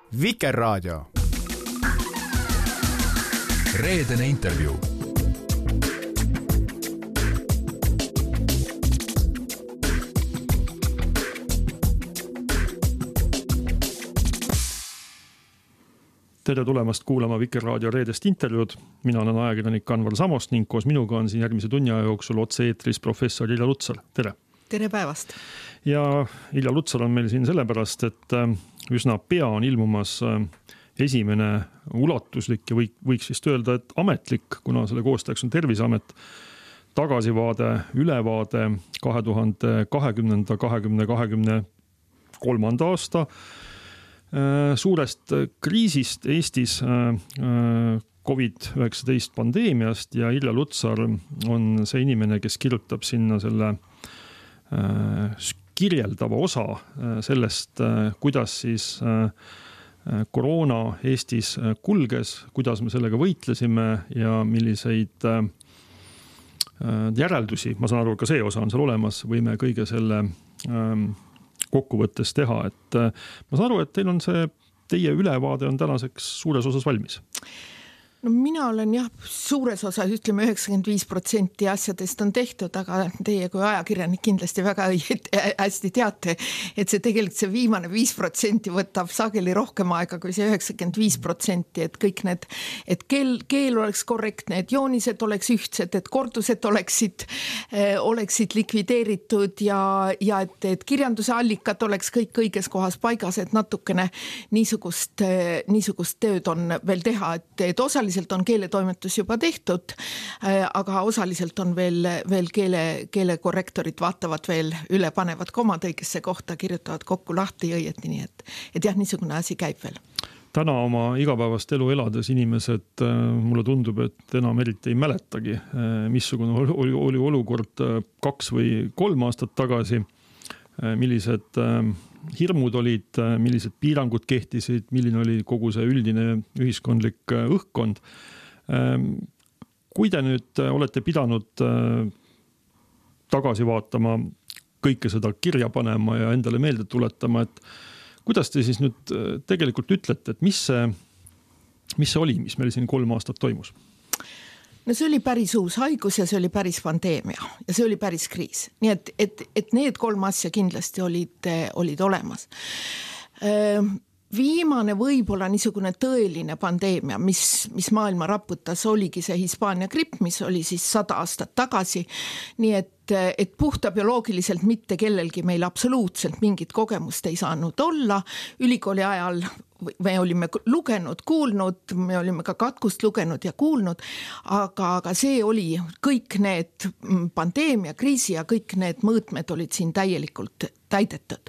Vikerraadio. Reedene intervjuu. Tere tulemast kuulama Vikerraadio reedest intervjuud. Mina olen ajakirjanik Anvar Samost ning koos minuga on siin järgmise tunni aja jooksul otse-eetris professor Ilja Lutsar. Tere! Tere päevast! Ja Ilja Lutsar on meil siin sellepärast, et üsna pea on ilmumas esimene ulatuslik ja võiks vist öelda, et ametlik, kuna selle koostajaks on Terviseamet, tagasivaade, ülevaade 2020-2023 aasta suurest kriisist Eestis COVID-19 pandeemiast ja Ilja Lutsar on see inimene, kes kirjutab sinna selle kirjeldava osa sellest, kuidas siis koroona Eestis kulges, kuidas me sellega võitlesime ja milliseid järeldusi, ma saan aru, ka see osa on seal olemas, võime kõige selle kokkuvõttes teha, et ma saan aru, et teil on see, teie ülevaade on tänaseks suures osas valmis. No mina olen suures osas, ütleme 95% asjadest on tehtud, aga teie kui ajakirjanik kindlasti väga hästi teate, et see tegelikult see viimane 5% võtab sageli rohkem aega kui see 95%, et kõik need, et keel oleks korrektne, et joonised oleks ühtsed, et kordused oleksid likvideeritud ja et kirjanduse allikad oleks kõik õiges kohas paigas, et natukene niisugust tööd on veel teha, et osaliselt on keeletoimetus juba tehtud, aga osaliselt on veel keelekorrektorid vaatavad veel üle, panevad komad õigesse kohta, kirjutavad kokku lahti õieti, nii et niisugune asi käib veel. Täna oma igapäevast elu elades inimesed, mulle tundub, et enam eriti ei mäletagi, missugune oli olukord 2 või 3 aastat tagasi, millised hirmud olid, millised piirangud kehtisid, milline oli kogu see üldine ühiskondlik õhkkond. Kui te nüüd olete pidanud tagasi vaatama, kõike seda kirja panema ja endale meelde tuletama, et kuidas te siis nüüd tegelikult ütlete, et mis see oli, mis meil siin 3 aastat toimus? No see oli päris uus haigus ja see oli päris pandeemia ja see oli päris kriis. Nii et need 3 asja kindlasti olid olemas. Viimane võib-olla niisugune tõeline pandeemia, mis maailma raputas, oligi see Hispaania gripp, mis oli siis 100 aastat tagasi. Nii et puhta bioloogiliselt mitte kellelgi meil absoluutselt mingit kogemust ei saanud olla. Ülikooli ajal me olime lugenud, kuulnud, me olime ka katkust lugenud ja kuulnud, aga see oli kõik need pandeemia, kriisi ja kõik need mõõtmed olid siin täielikult täidetud.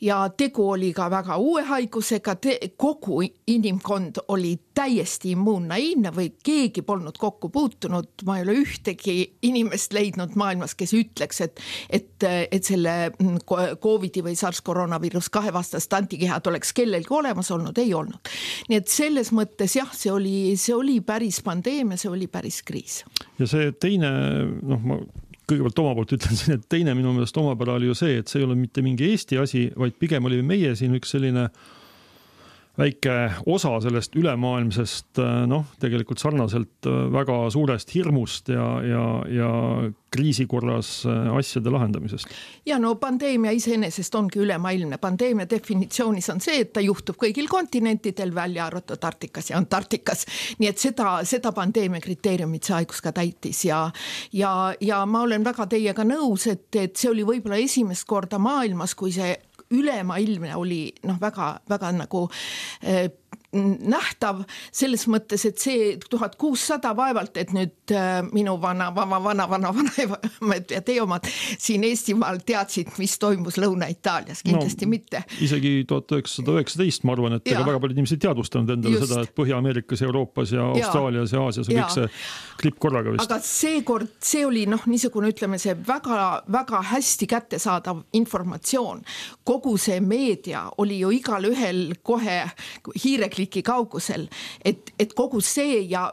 Ja tegu oli ka väga uue haigusega, kogu inimkond oli täiesti immuunnaiivne või keegi polnud kokku puutunud. Ma ei ole ühtegi inimest leidnud maailmas, kes ütleks, et selle COVID-i või SARS-koroonaviirus 2 vastast antikehad oleks kellelgi olemas olnud, ei olnud. Nii et selles mõttes see oli päris pandeemia, see oli päris kriis. Ja see teine, ma kõigepealt oma poolt ütlen siin, et teine minu meelest omapära oli ju see, et see ei ole mitte mingi Eesti asi, vaid pigem oli meie siin üks selline väike osa sellest ülemaailmsest, tegelikult sarnaselt väga suurest hirmust ja kriisi korras asjade lahendamisest. Ja pandeemia iseenesest ongi ülemaailmne. Pandeemia definitsioonis on see, et ta juhtub kõigil kontinentidel, välja arvatud Arktikas ja Antarktikas. Nii et seda pandeemia kriteeriumid see haigus ka täitis ja ma olen väga teiega nõus, et see oli võib-olla esimest korda maailmas, kui see ülemaailmne oli väga nagu nähtav selles mõttes, et see 1600 vaevalt, et nüüd minu vana ja teie omad siin Eestimaal teadsid, mis toimus Lõuna-Itaalias, kindlasti mitte. Isegi 1919 ma arvan, et väga paljud inimesed teadvustanud endale seda, et Põhja-Ameerikas, Euroopas ja Austraalias ja Aasias on kõik see klipp korraga vist. Aga seekord see oli niisugune, ütleme, see väga, väga hästi kättesaadav informatsioon. Kogu see meedia oli ju igal ühel kohe hiirekliki kaugusel, et kogu see ja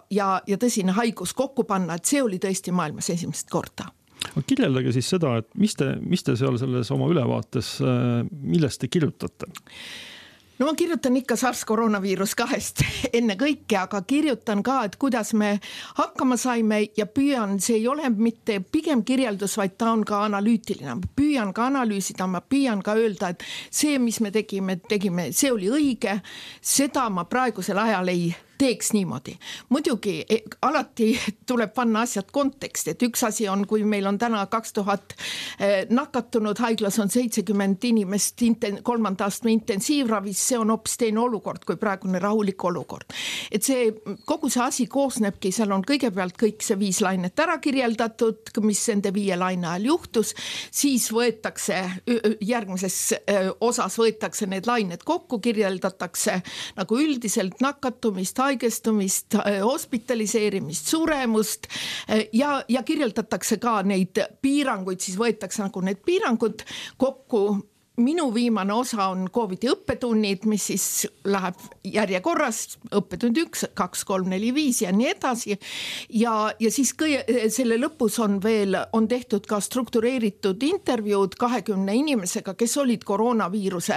tõsine haigus kokku panna, et see oli tõesti maailmas esimest korda. Kirjeldage siis seda, et mis te seal selles oma ülevaates, millest te kirjutate? No ma kirjutan ikka SARS-koroonaviirus 2 enne kõike, aga kirjutan ka, et kuidas me hakkama saime ja püüan, see ei ole mitte pigem kirjeldus, vaid ta on ka analüütiline. Püüan ka analüüsida, ma püüan ka öelda, et see, mis me tegime, see oli õige, seda ma praegusel ajal ei teeks niimoodi. Muidugi alati tuleb panna asjad konteksti, et üks asi on, kui meil on täna 2000 nakatunud, haiglas on 70 inimest 3. astme intensiivravis, see on hoopis teine olukord kui praegune rahulik olukord. Et see, kogu see asi koosnebki, seal on kõigepealt kõik see 5 lainet ära kirjeldatud, mis nende 5 laine ajal juhtus, siis võetakse, järgmises osas võetakse need lained kokku, kirjeldatakse nagu üldiselt nakatumist, haigestumist, hospitaliseerimist, suremust ja kirjeldatakse ka neid piiranguid, siis võetakse nagu need piirangud kokku. Minu viimane osa on COVID-i õppetunnid, mis siis läheb järjekorras, õppetund 1, 2, 3, 4, 5 ja nii edasi. Ja siis selle lõpus on tehtud ka struktureeritud intervjuud 20 inimesega, kes olid koroonaviiruse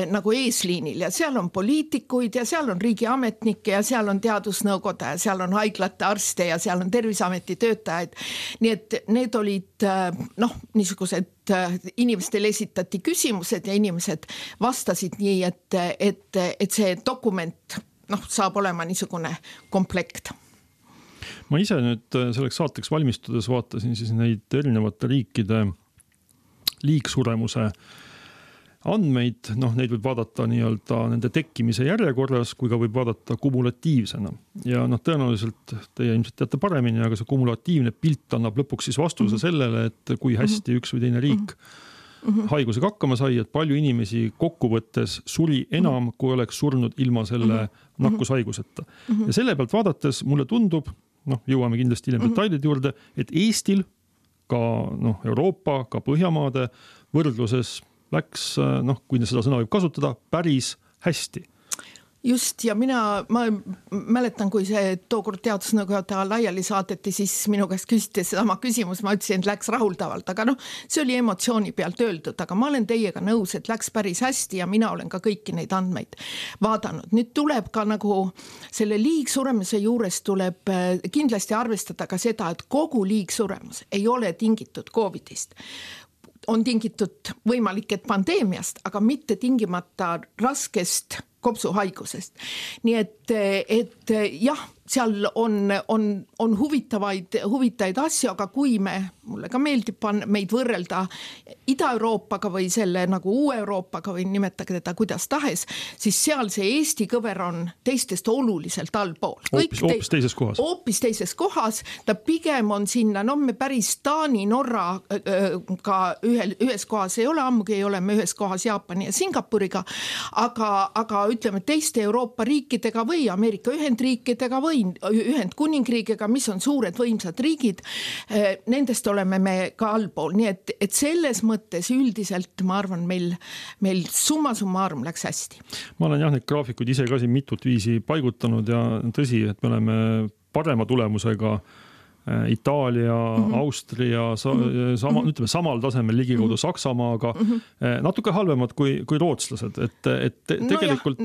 nagu eesliinil ja seal on poliitikuid ja seal on riigiametnikke ja seal on teadusnõukoda ja seal on haiglate arste ja seal on Terviseameti töötajaid. Nii et need olid niisugused inimestele esitati küsimused ja inimesed vastasid nii, et see dokument saab olema niisugune komplekt. Ma ise nüüd selleks saateks valmistudes vaatasin siis neid erinevate riikide liigsuremuse andmeid, neid võib vaadata nii-öelda nende tekkimise järjekorras, kui ka võib vaadata kumulatiivsena. Ja tõenäoliselt teie ilmselt teate paremini, aga see kumulatiivne pilt annab lõpuks siis vastuse sellele, et kui hästi üks või teine riik haigusega hakkama sai, et palju inimesi kokkuvõttes suri enam, kui oleks surnud ilma selle nakkushaiguseta. Ja selle pealt vaadates mulle tundub, jõuame kindlasti hiljem detailide juurde, et Eestil ka Euroopa, ka Põhjamaade võrdluses läks, kui seda sõna võib kasutada, päris hästi. Just, ja ma mäletan, kui see tookord teadusnõukoda laiali saadeti, siis minu käest küsiti sedama küsimus, ma ütlesin, et läks rahuldavalt, aga see oli emotsiooni pealt öeldud, aga ma olen teiega nõus, et läks päris hästi ja mina olen ka kõiki neid andmeid vaadanud. Nüüd tuleb ka nagu selle liigsuremise juures tuleb kindlasti arvestada ka seda, et kogu liigsuremus ei ole tingitud COVIDist. On tingitud võimalik, et pandeemiast, aga mitte tingimata raskest kopsuhaigusest. Nii et jah, seal on huvitavaid asju, aga kui mulle ka meeldib meid võrrelda Ida-Euroopaga või selle nagu Uue-Euroopaga või nimetage teda kuidas tahes, siis seal see Eesti kõver on teistest oluliselt allpool. Hoopis teises kohas. Hoopis teises kohas. Ta pigem on sinna, me päris Taani, Norra ka ühes kohas ei ole, ammugi ei ole me ühes kohas Jaapani ja Singapuriga, aga ütleme teiste Euroopa riikidega või Ameerika Ühendriikidega või Ühendkuningriigiga, mis on suured võimsad riigid, nendest oleme me ka allpool. Nii et selles mõttes üldiselt ma arvan, meil summa summarum läks hästi. Ma olen neid graafikuid ise ka siin mitut viisi paigutanud ja tõsi, et me oleme parema tulemusega Itaalia, Austria, ütleme samal tasemel ligikaudu Saksamaaga, natuke halvemad kui rootslased, et tegelikult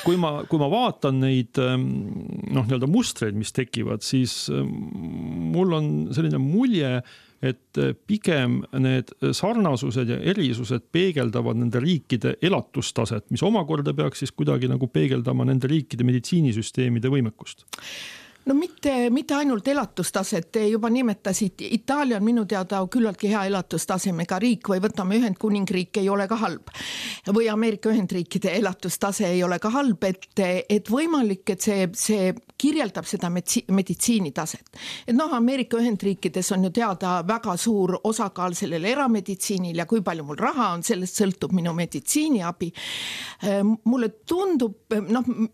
kui ma vaatan neid nii-öelda mustreid, mis tekivad, siis mul on selline mulje, et pigem need sarnasused ja erisused peegeldavad nende riikide elatustaset, mis omakorda peaks siis kuidagi nagu peegeldama nende riikide meditsiinisüsteemide võimekust. No mitte ainult elatustaset, te juba nimetasid, Itaalia on minu teada küllaltki hea elatustasemega riik või võtame Ühendkuningriik ei ole ka halb või Ameerika Ühendriikide elatustase ei ole ka halb, et võimalik, et see kirjeldab seda meditsiinitaset. Et Ameerika Ühendriikides on ju teada väga suur osakaal sellele erameditsiinil ja kui palju mul raha on, sellest sõltub minu meditsiiniabi. Mulle tundub,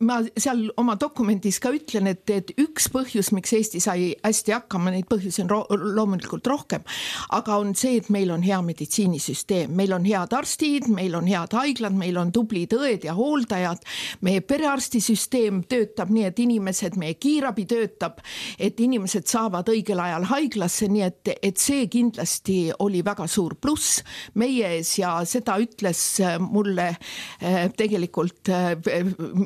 ma seal oma dokumendis ka ütlen, et üks üks põhjus, miks Eesti sai hästi hakkama, neid põhjusi on loomulikult rohkem, aga on see, et meil on hea meditsiinisüsteem, meil on head arstid, meil on head haiglad, meil on tublid õed ja hooldajad, meie perearstisüsteem töötab nii, et inimesed, meie kiirabi töötab, et inimesed saavad õigel ajal haiglasse, nii et see kindlasti oli väga suur pluss meie ees ja seda ütles mulle tegelikult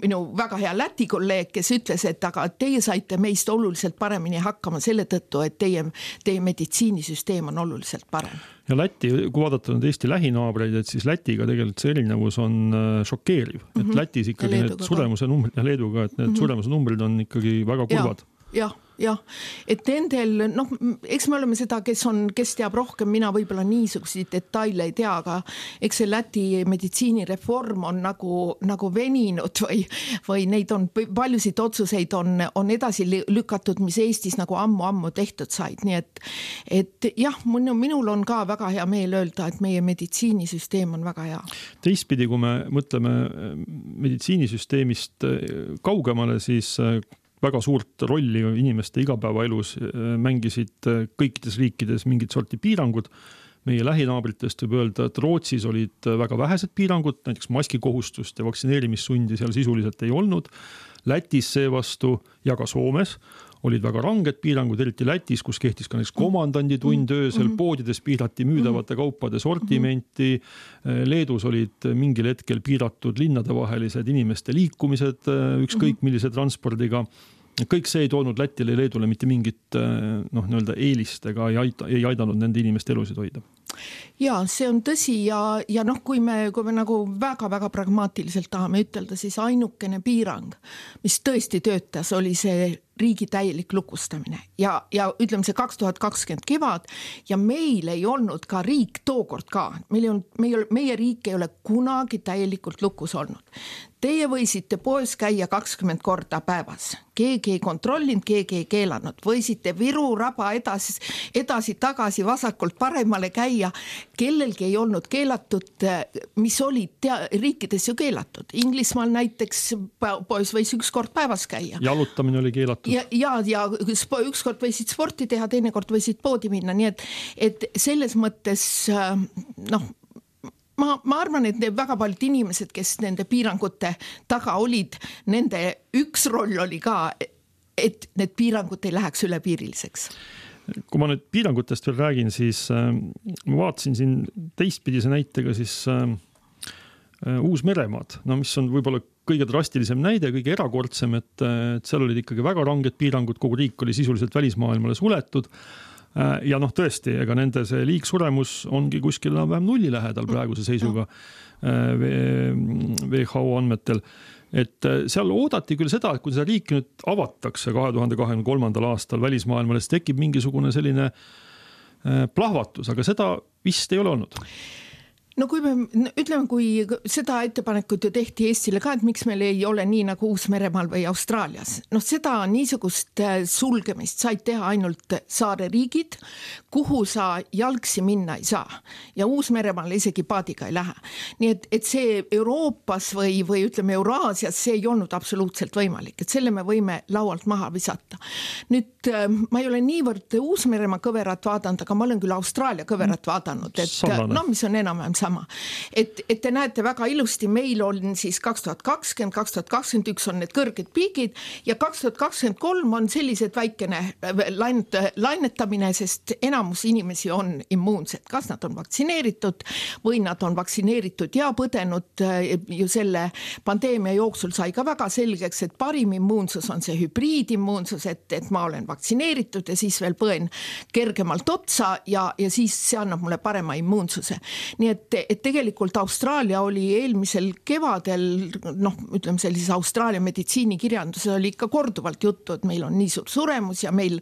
minu väga hea Läti kolleeg, kes ütles, et aga teie saite meist oluliselt paremini hakkama selle tõttu, et teie meditsiinisüsteem on oluliselt parem. Ja Läti, kui vaadata nüüd Eesti lähinaabreid, et siis Lätiga tegelikult see erinevus on šokeeriv. Et Lätis ikkagi need suremuse numbrid ja Leeduga, et need suremuse numbrid on ikkagi väga kurvad. Jah, et nendel, eks me oleme seda, kes teab rohkem, mina võib-olla niisuguseid detaile ei tea, aga eks see Läti meditsiinireform on nagu veninud või neid on, paljusid otsuseid on edasi lükatud, mis Eestis nagu ammu tehtud said, nii et jah, minul on ka väga hea meel öelda, et meie meditsiinisüsteem on väga hea. Teistpidi, kui me mõtleme meditsiinisüsteemist kaugemale, siis väga suurt rolli inimeste igapäevaelus mängisid kõikides riikides mingid sorti piirangud. Meie lähinaabritest võib öelda, et Rootsis olid väga vähesed piirangud, näiteks maskikohustust ja vaktsineerimissundi seal sisuliselt ei olnud. Lätis seevastu ja ka Soomes olid väga ranged piirangud, eriti Lätis, kus kehtis ka näiteks komandanditund öösel, poodides piirati müüdavate kaupade sortimenti, Leedus olid mingil hetkel piiratud linnadevahelised inimeste liikumised ükskõik millise transpordiga. Kõik see ei toonud Lätile ja Leedule mitte mingit eelist ega ei aidanud nende inimeste elusid hoida. Ja see on tõsi ja kui me nagu väga-väga pragmaatiliselt tahame ütelda, siis ainukene piirang, mis tõesti töötas, oli see riigi täielik lukustamine ja ütleme see 2020 kevad ja meil ei olnud ka riik tookord ka. Meie riik ei ole kunagi täielikult lukus olnud. Teie võisite poes käia 20 korda päevas. Keegi ei kontrollinud, keegi ei keelanud. Võisite Viru raba edasi-tagasi vasakult paremale käia. Kellelgi ei olnud keelatud, mis olid riikides ju keelatud. Inglismaal näiteks poes võis üks kord päevas käia. Jalutamine oli keelatud. Ja üks kord võisid sporti teha, teine kord võisid poodi minna. Nii et selles mõttes, ma arvan, et väga paljud inimesed, kes nende piirangute taga olid, nende üks roll oli ka, et need piirangud ei läheks ülepiiriliseks. Kui ma nüüd piirangutest veel räägin, siis ma vaatasin siin teistpidise näitega siis Uus-Meremaad, mis on võib-olla kõige drastilisem näide, kõige erakordsem, et seal olid ikkagi väga ranged piirangud, kogu riik oli sisuliselt välismaailmale suletud. Ja tõesti, ega nende see liigsuremus ongi kuskil vähem nulli lähedal praeguse seisuga WHO andmetel. Et seal oodati küll seda, et kui seda riiki nüüd avatakse 2023. aastal välismaailmale, siis tekib mingisugune selline plahvatus, aga seda vist ei ole olnud. Kui seda ettepanekut ju tehti Eestile ka, et miks meil ei ole nii nagu Uus-Meremaal või Austraalias. Seda niisugust sulgemist said teha ainult saare riigid, kuhu sa jalgsi minna ei saa. Ja Uus-Meremaal isegi paadiga ei lähe. Nii et see Euroopas või ütleme Euraasias, see ei olnud absoluutselt võimalik. Et selle me võime laualt maha visata. Nüüd ma ei ole niivõrd Uus-Meremaa kõverat vaadanud, aga ma olen küll Austraalia kõverat vaadanud. Mis on enam-vähem sama. Et te näete väga ilusti, meil on siis 2020, 2021 on need kõrged piigid ja 2023 on sellised väikene lainetamine, sest enamus inimesi on immuunsed. Kas nad on vaktsineeritud või nad on vaktsineeritud ja põdenud ju selle pandeemia jooksul sai ka väga selgeks, et parim immuunsus on see hübriidimmuunsus, et ma olen vaktsineeritud ja siis veel põen kergemalt otsa ja siis see annab mulle parema immuunsuse. Nii et tegelikult Austraalia oli eelmisel kevadel, ütleme sellises Austraalia meditsiinikirjanduses oli ikka korduvalt juttu, et meil on nii suur suremus ja meil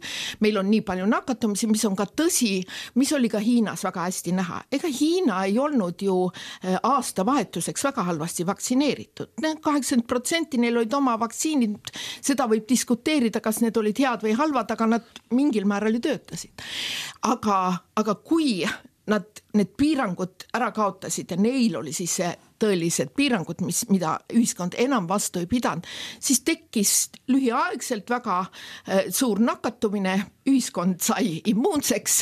on nii palju nakatumisi, mis on ka tõsi, mis oli ka Hiinas väga hästi näha. Ega Hiina ei olnud ju aastavahetuseks väga halvasti vaktsineeritud. 80% neil olid oma vaktsiinid, seda võib diskuteerida, kas need olid head või halvad, aga nad mingil määral ju töötasid. Aga kui nad need piirangud ära kaotasid ja neil oli siis see tõelised piirangud, mida ühiskond enam vastu ei pidanud, siis tekkis lühiaegselt väga suur nakatumine, ühiskond sai immuunseks.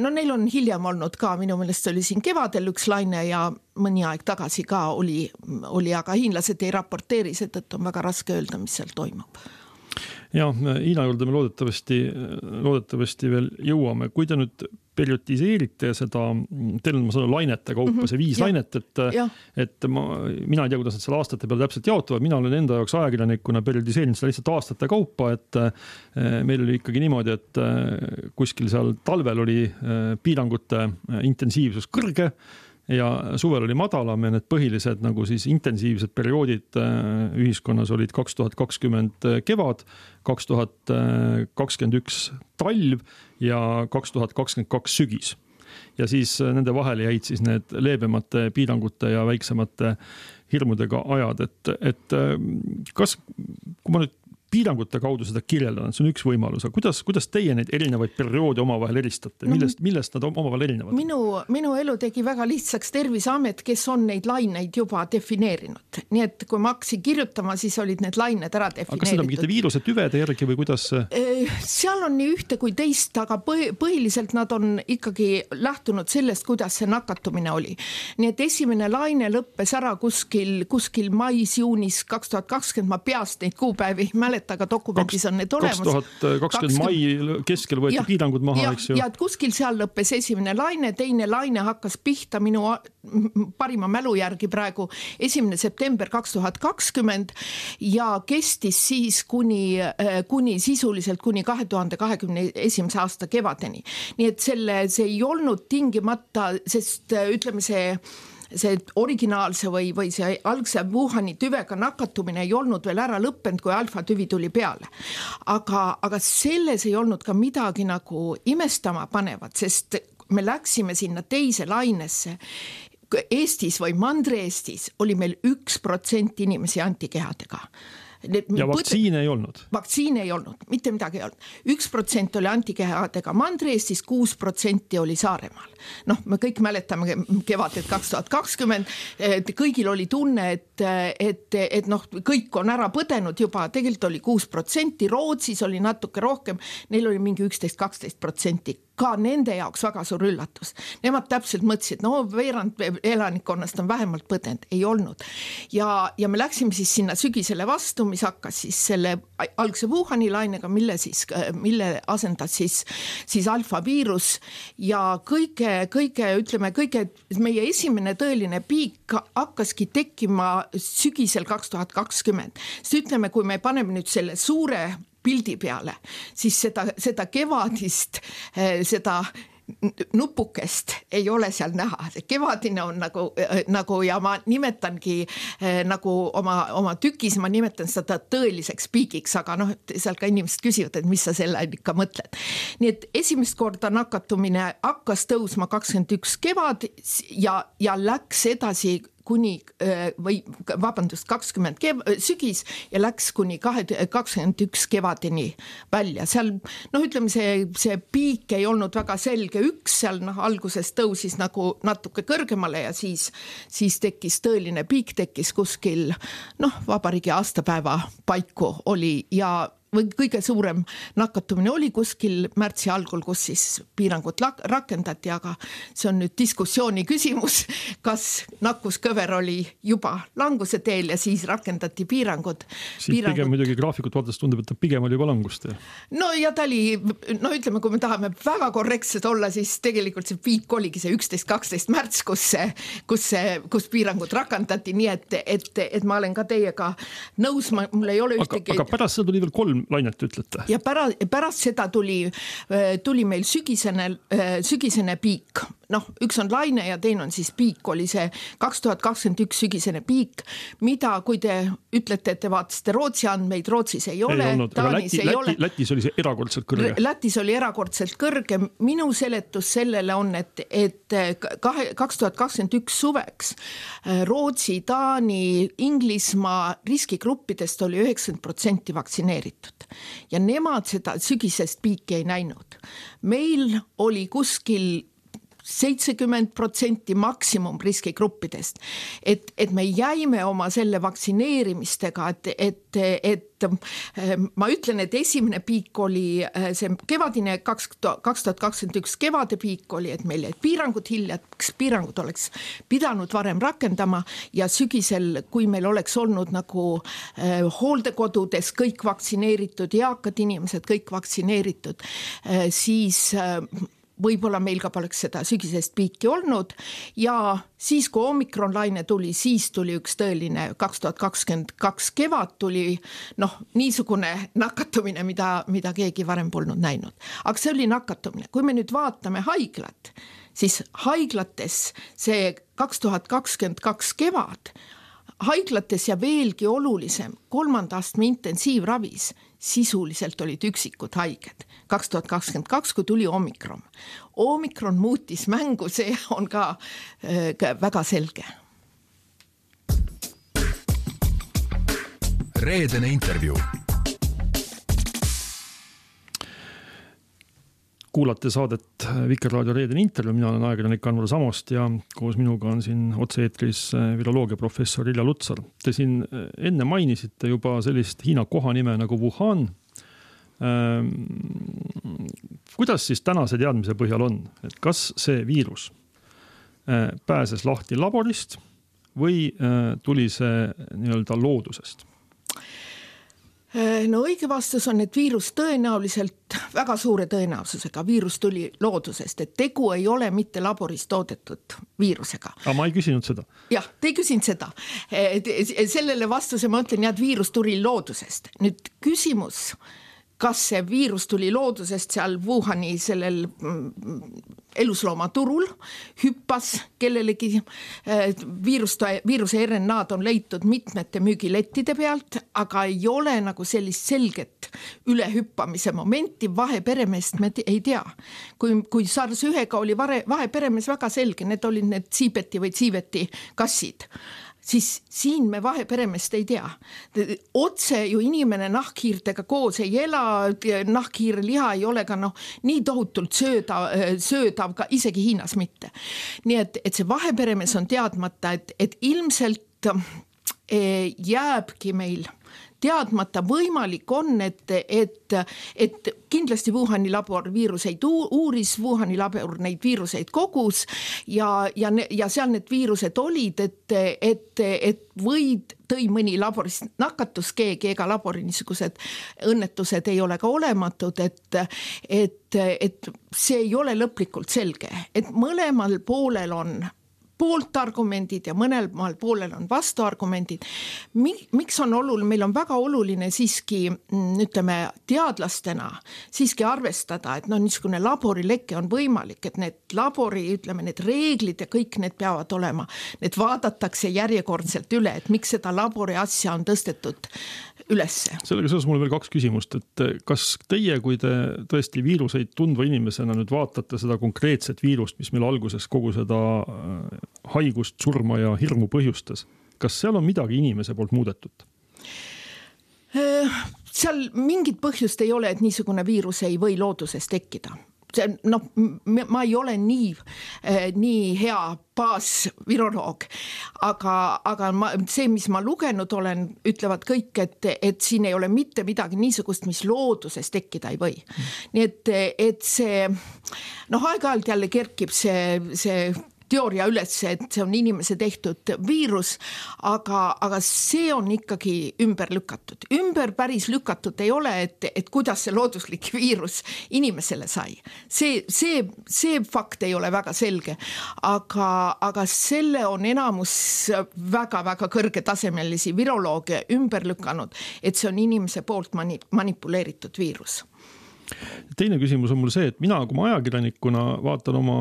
No neil on hiljem olnud ka, minu meelest oli siin kevadel üks laine ja mõni aeg tagasi ka oli, aga hiinlased ei raporteeri, seetõttu on väga raske öelda, mis seal toimub. Ja, Hiina juurde me loodetavasti veel jõuame. Kui te nüüd periotiseerite seda, teil on ma sanon lainete kaupa, see 5 lainet, et mina ei tea, kuidas nad selle aastate peale täpselt jaotuvad, mina olen enda jaoks ajakirjanikuna periotiseerinud seda lihtsalt aastate kaupa, et meil oli ikkagi niimoodi, et kuskil seal talvel oli piirangute intensiivsus kõrge, ja suvel oli madalam ja need põhilised nagu siis intensiivsed perioodid ühiskonnas olid 2020 kevad, 2021 talv ja 2022 sügis. Ja siis nende vahele jäid siis need leebemate piirangute ja väiksemate hirmudega ajad, et kas, kui ma nüüd piirangute kaudu seda kirjeldan, see on üks võimalus, aga kuidas teie neid erinevaid perioode omavahel eristate? Millest nad omavahel erinevad? Minu elu tegi väga lihtsaks Terviseamet, kes on neid laineid juba defineerinud. Nii et kui ma hakkasin kirjutama, siis olid need lained ära defineeritud. Aga kas seda mingite viiruse tüvede järgi või kuidas? Seal on nii ühte kui teist, aga põhiliselt nad on ikkagi lähtunud sellest, kuidas see nakatumine oli. Nii et esimene laine lõppes ära kuskil mais-juunis 2020, ma peast neid kuupäevi mäletan, aga dokumendis on need olemas. 2020 mai keskel võeti piirangud maha, eks ju. Ja kuskil seal lõppes esimene laine, teine laine hakkas pihta minu parima mälu järgi praegu 1. september 2020 ja kestis siis kuni sisuliselt kuni 2021. aasta kevadeni. Nii et see ei olnud tingimata, sest ütleme see originaalse või see algse Wuhani tüvega nakatumine ei olnud veel ära lõppenud, kui alfa tüvi tuli peale. Aga selles ei olnud ka midagi nagu imestama panevat, sest me läksime sinna teise lainesse. Eestis või Mandri-Eestis oli meil 1% inimesi antikehadega. Ja vaktsiine ei olnud? Vaktsiine ei olnud, mitte midagi ei olnud. 1% oli antikehadega Mandri-Eestis, 6% oli Saaremaal. Me kõik mäletame kevadet 2020, kõigil oli tunne, et kõik on ära põdenud juba, tegelikult oli 6%, Rootsis oli natuke rohkem, neil oli mingi 11-12%. Ka nende jaoks väga suur üllatus. Nemad täpselt mõtlesid, veerand elanikkonnast on vähemalt põdenud, ei olnud. Ja me läksime siis sinna sügisele vastu, mis hakkas siis selle algse Wuhani lainega, mille asendas siis alfa viirus ja kõige meie esimene tõeline piik hakkaski tekkima sügisel 2020. Sest ütleme, kui me paneme nüüd selle suure pildi peale, siis seda kevadist, seda nupukest ei ole seal näha. Kevadine on nagu ja ma nimetangi nagu oma tükis, ma nimetan seda tõeliseks piigiks, aga seal ka inimesed küsivad, et mis sa selle ikka mõtled. Nii et esimest korda nakatumine hakkas tõusma 21 kevad ja läks edasi kuni 20 sügis ja läks kuni 21 kevadeni välja. Seal, ütleme, see piik ei olnud väga selge. Üks seal alguses tõusis nagu natuke kõrgemale ja siis tekkis tõeline piik, tekkis kuskil vabariigi aastapäeva paiku oli ja kõige suurem nakatumine oli kuskil märtsi algul, kus siis piirangud rakendati, aga see on nüüd diskussiooni küsimus, kas nakkuskõver oli juba languse teel ja siis rakendati piirangud. Pigem muidugi graafikut vaadates tundub, et ta pigem oli juba langust. Ja ta oli, ütleme, kui me tahame väga korrektsed olla, siis tegelikult see piik oligi see 11-12 märts, kus piirangud rakendati, nii et ma olen ka teiega nõus, mul ei ole ühtegi... Aga pärast seda tuli veel 3 lainet, ütlete? Ja pärast seda tuli meil sügisene piik. Üks on laine ja teine on siis piik, oli see 2021 sügisene piik, mida, kui te ütlete, et te vaatasite Rootsi andmeid, Rootsis ei ole, Taanis ei ole. Lätis oli see erakordselt kõrge. Lätis oli erakordselt kõrge. Minu seletus sellele on, et 2021 suveks Rootsi, Taani, Inglismaa riskigruppidest oli 90% vaktsineeritud ja nemad seda sügisest piiki ei näinud. Meil oli kuskil 70% maksimum riskigruppidest, et me jäime oma selle vaktsineerimistega, et ma ütlen, et esimene piik oli see kevadine 2021 kevade piik oli, et meil jäid piirangud hiljaks, piirangud oleks pidanud varem rakendama ja sügisel, kui meil oleks olnud nagu hooldekodudes kõik vaktsineeritud, eakad inimesed kõik vaktsineeritud, siis võib-olla meil ka poleks seda sügisest piiki olnud ja siis, kui omikron laine tuli, siis tuli üks tõeline 2022 kevad tuli niisugune nakatumine, mida keegi varem polnud näinud. Aga see oli nakatumine. Kui me nüüd vaatame haiglat, siis haiglates see 2022 kevad, haiglates ja veelgi olulisem, 3. astme intensiivravis sisuliselt olid üksikud haiged. 2022, kui tuli omikron. Omikron muutis mängu, see on ka väga selge. Reedene intervjuu. Kuulate saadet Vikerraadio Reedene intervjuu, mina olen ajakirjanik Anvar Samost ja koos minuga on siin otse-eetris viroloogia professor Ilja Lutsar. Te siin enne mainisite juba sellist Hiina kohanime nagu Wuhan. Kuidas siis tänase teadmise põhjal on, et kas see viirus pääses lahti laborist või tuli see nii-öelda loodusest? No õige vastus on, et viirus tõenäoliselt, väga suure tõenäosusega viirus tuli loodusest, et tegu ei ole mitte laboris toodetud viirusega. Aga ma ei küsinud seda. Jah, te ei küsinud seda. Sellele vastuse ma ütlen, et viirus tuli loodusest. Nüüd küsimus, kas see viirus tuli loodusest seal Wuhani sellel elusloomaturul, hüppas kellelegi, viiruse RNA-d on leitud mitmete müügilettide pealt, aga ei ole nagu sellist selget ülehüppamise momenti, vaheperemeest me ei tea. Kui SARS-1-ga oli vaheperemees väga selge, need olid need Tsiibeti või Tsiiveti kassid, siis siin me vaheperemest ei tea. Otse ju inimene nahkhiirtega koos ei ela, nahkhiire liha ei ole ka nii tohutult söödav ka isegi Hiinas mitte. Nii et see vaheperemees on teadmata, et ilmselt jääbki meil teadmata, võimalik on, et kindlasti Wuhani labor viiruseid uuris, Wuhani labor neid viiruseid kogus ja seal need viirused olid, et tõi mõni laboris nakatus keegi, ega labori niisugused õnnetused ei ole ka olematud, et see ei ole lõplikult selge, et mõlemal poolel on pooltargumendid ja mõnel poolel on vastuargumendid. Miks on oluline? Meil on väga oluline siiski, ütleme, teadlastena siiski arvestada, et niisugune laborileke on võimalik, et need labori, ütleme, need reeglid ja kõik need peavad olema. Need vaadatakse järjekordselt üle, et miks seda labori asja on tõstetud ülesse. Sellega seoses mul veel 2 küsimust, et kas teie, kui te tõesti viiruseid tundva inimesena nüüd vaatate seda konkreetset viirust, mis meil alguses kogu seda haigust, surma ja hirmu põhjustas, kas seal on midagi inimese poolt muudetud? Seal mingit põhjust ei ole, et niisugune viirus ei või looduses tekkida. Ma ei ole nii hea baasviroloog, aga see, mis ma lugenud olen, ütlevad kõik, et siin ei ole mitte midagi niisugust, mis looduses tekkida ei või. Nii et see, aeg-ajalt jälle kerkib see teooria üles, et see on inimese tehtud viirus, aga see on ikkagi ümber lükatud. Ümber päris lükatud ei ole, et kuidas see looduslik viirus inimesele sai. See fakt ei ole väga selge, aga selle on enamus väga-väga kõrgetasemelisi virolooge ümber lükanud, et see on inimese poolt manipuleeritud viirus. Teine küsimus on mul see, et mina kui ajakirjanikuna vaatan oma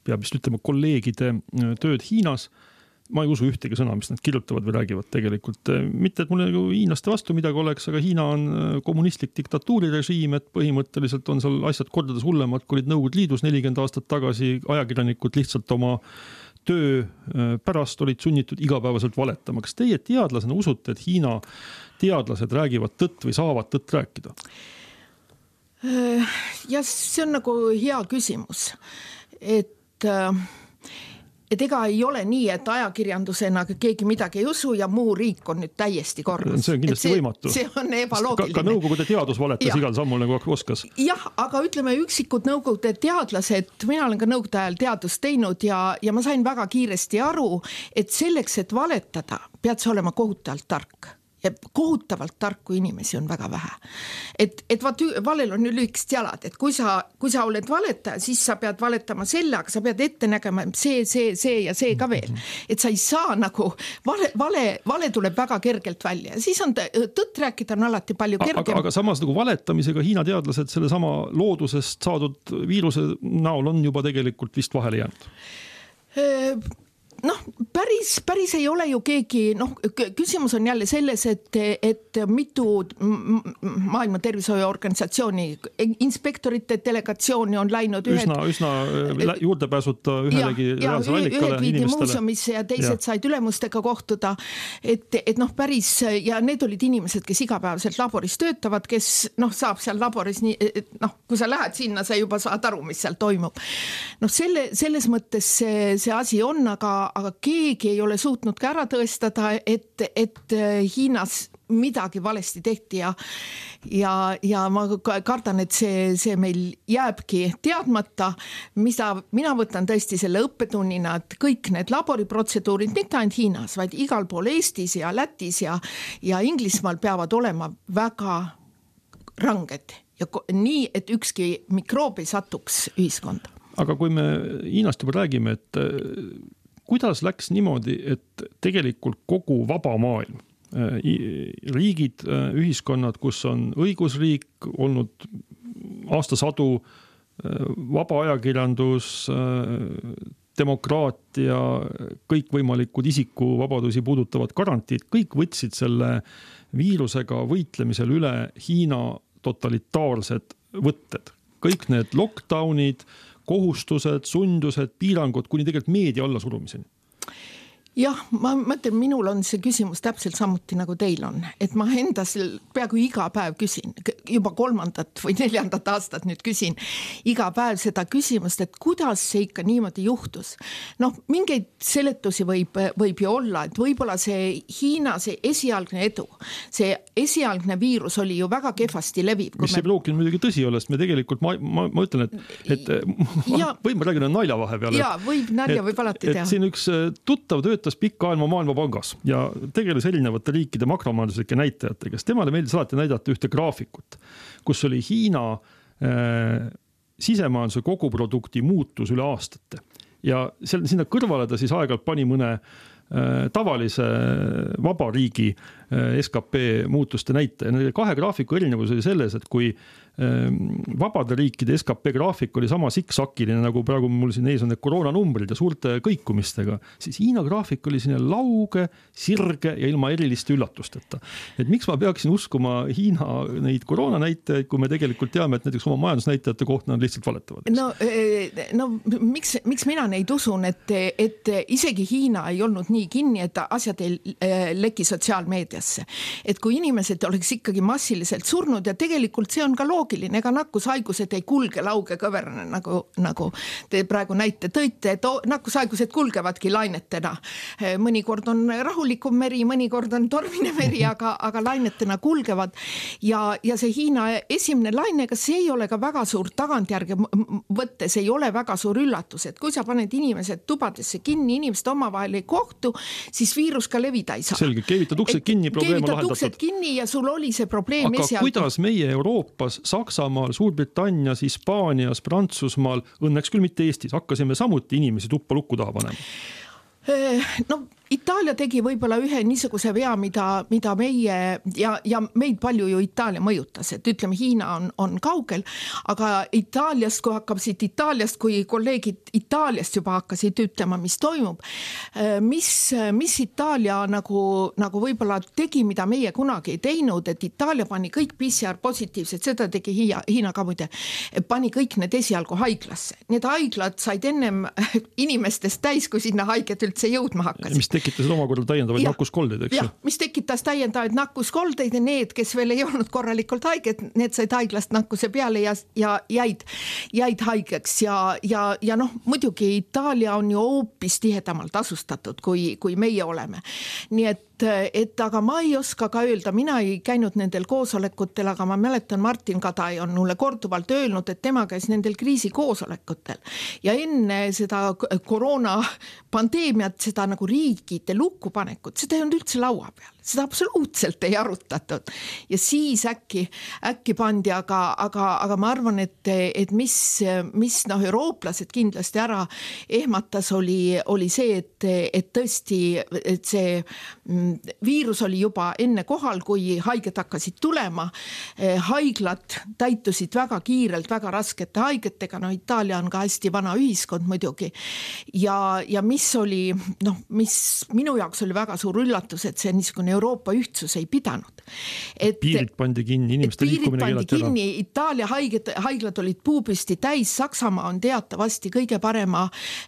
peab vist ütlema kolleegide tööd Hiinas. Ma ei usu ühtegi sõna, mis nad kirjutavad või räägivad tegelikult. Mitte, et mul hiinaste vastu midagi oleks, aga Hiina on kommunistlik diktatuurirežiim, et põhimõtteliselt on seal asjad kordades hullemad, kui olid Nõukogude Liidus 40 aastat tagasi, ajakirjanikud lihtsalt oma töö pärast olid sunnitud igapäevaselt valetama. Kas teie teadlasena usute, et Hiina teadlased räägivad tõtt või saavad tõtt rääkida? Ja see on nagu hea küsimus, et ega ei ole nii, et ajakirjandusena keegi midagi ei usu ja muu riik on nüüd täiesti korras. See on kindlasti võimatu. See on ebaloogiline. Ka Nõukogude teadus valetas igal sammul nagu oskas. Jah, aga ütleme üksikud Nõukogude teadlased, mina olen ka Nõukogude ajal teadust teinud ja ma sain väga kiiresti aru, et selleks, et valetada, pead sa olema kohutavalt tark. Ja kohutavalt tarku inimesi on väga vähe. Et valel on lühikesed jalad, et kui sa oled valetaja, siis sa pead valetama selle, aga sa pead ette nägema see ja see ka veel. Et sa ei saa nagu, vale tuleb väga kergelt välja ja siis on tõtt rääkida on alati palju kergem. Aga samas nagu valetamisega Hiina teadlased selle sama loodusest saadud viiruse näol on juba tegelikult vist vahele jäänud. Päris ei ole ju keegi, küsimus on jälle selles, et mitu maailma tervishoiuorganisatsiooni inspektorite delegatsiooni on läinud üsna juurdepääsuta ühelegi reaalsele allikale ühed viidi muuseumisse ja teised said ülemustega kohtuda, et päris, ja need olid inimesed, kes igapäevaselt laboris töötavad, kes saab seal laboris nii, kui sa lähed sinna, sa juba saad aru, mis seal toimub. Selles mõttes see asi on, aga keegi ei ole suutnud ka ära tõestada, et Hiinas midagi valesti tehti ja ma kardan, et see meil jääbki teadmata, mida mina võtan tõesti selle õppetunnina, et kõik need laboriprotseduurid, mitte ainult Hiinas, vaid igal pool Eestis ja Lätis ja Inglismaal peavad olema väga ranged ja nii, et ükski mikroob ei satuks ühiskonda. Aga kui me Hiinast juba räägime, et kuidas läks niimoodi, et tegelikult kogu vaba maailm, riigid, ühiskonnad, kus on õigusriik olnud aastasadu, vaba ajakirjandus, demokraatia, kõikvõimalikud isikuvabadusi puudutavad garantiid, kõik võtsid selle viirusega võitlemisel üle Hiina totalitaarsed võtted. Kõik need lockdownid, kohustused, sundused, piirangud, kuni tegelikult meedia alla surumiseni. Jah, ma mõtlen, minul on see küsimus täpselt samuti nagu teil on, et ma endas peaaegu iga päev küsin, juba 3. või 4. aastat nüüd küsin iga päev seda küsimust, et kuidas see ikka niimoodi juhtus. Mingeid seletusi võib ju olla, et võib-olla see Hiina, see esialgne edu, see esialgne viirus oli ju väga kehvasti leviv. Mis ei pruukinud muidugi tõsi olla, sest me tegelikult, ma ütlen, et võib ma räägin nalja vahepeal. Jaa, võib nalja võib alati teha. Et siin üks tuttav töötas pikka ajalma Maailmapangas ja tegeles erinevate riikide makromajanduslike näitajatega, kes temale meeldis alati näidata ühte graafikut, kus oli Hiina sisemajanduse koguprodukti muutus üle aastate. Ja sinna kõrvale ta siis aeg-ajalt pani mõne tavalise vaba riigi SKP muutuste näitaja. Nende kahe graafiku erinevus oli selles, et kui vabade riikide SKP graafik oli sama siksakiline, nagu praegu mul siin ees on need koroonanumbrid ja suurte kõikumistega, siis Hiina graafik oli sinna lauge, sirge ja ilma eriliste üllatusteta. Et miks ma peaksin uskuma Hiina neid koroonanäitajaid, kui me tegelikult teame, et näiteks oma majandusnäitajate kohta nad lihtsalt valetavad? Miks mina neid usun, et isegi Hiina ei olnud nii kinni, et asjad ei leki sotsiaalmeediasse. Et kui inimesed oleks ikkagi massiliselt surnud ja tegelikult see on ka loogiline, ega nakkushaigused ei kulge lauge kõverane, nagu te praegu näite tõite, et nakkushaigused kulgevadki lainetena. Mõnikord on rahulikum meri, mõnikord on tormine meri, aga lainetena kulgevad. Ja see Hiina esimene laine, kas see ei ole ka väga suur tagantjärge võttes, ei ole väga suur üllatus, et kui sa paned inimesed tubadesse kinni, inimesed omavahel ei kohtu, siis viirus ka levida ei saa. Selge, keevitad uksed kinni, probleem on lahendatud. Keevitad uksed kinni ja sul oli see probleem esialgu. Aga kuidas meie Euroopas, Saksamaal, Suurbritannias, Hispaanias, Prantsusmaal, õnneks küll mitte Eestis, hakkasime samuti inimesi tuppa lukku taha panema? Itaalia tegi võib-olla ühe niisuguse vea, mida meie ja meid palju ju Itaalia mõjutas, et ütleme, Hiina on kaugel, aga Itaaliast, kui kolleegid Itaaliast juba hakkasid ütlema, mis toimub, mis Itaalia nagu võib-olla tegi, mida meie kunagi ei teinud, et Itaalia pani kõik PCR positiivsed, seda tegi Hiina ka muide, pani kõik need esialgu haiglasse. Need haiglad said ennem inimestest täis, kui sinna haiget üldse jõudma hakkasid. Tekitasid omakorda täiendavaid nakkuskoldeid, eks ju? Mis tekitas täiendavaid nakkuskoldeid ja need, kes veel ei olnud korralikult haiged, need said haiglast nakkuse peale ja jäid haigeks ja noh, muidugi Itaalia on ju hoopis tihedamalt asustatud, kui meie oleme. Nii et aga ma ei oska ka öelda, mina ei käinud nendel koosolekutel, aga ma mäletan, Martin Kadai on mulle korduvalt öelnud, et tema käis nendel kriisikoosolekutel ja enne seda koroona pandeemiat, seda nagu riigide lukkupanekut, seda ei olnud üldse laua peal. Seda absoluutselt ei arutatud ja siis äkki pandi, aga ma arvan, et mis eurooplased kindlasti ära ehmatas oli see, et tõesti, et see viirus oli juba enne kohal, kui haiged hakkasid tulema. Haiglad täitusid väga kiirelt, väga raskete haigetega, Itaalia on ka hästi vana ühiskond muidugi ja mis oli, mis minu jaoks oli väga suur üllatus, et see niisugune Euroopa ühtsus ei pidanud. Piirid pandi kinni, inimeste liikumine keelati ära. Itaalia haiglad olid puupüsti täis, Saksamaa on teatavasti kõige parema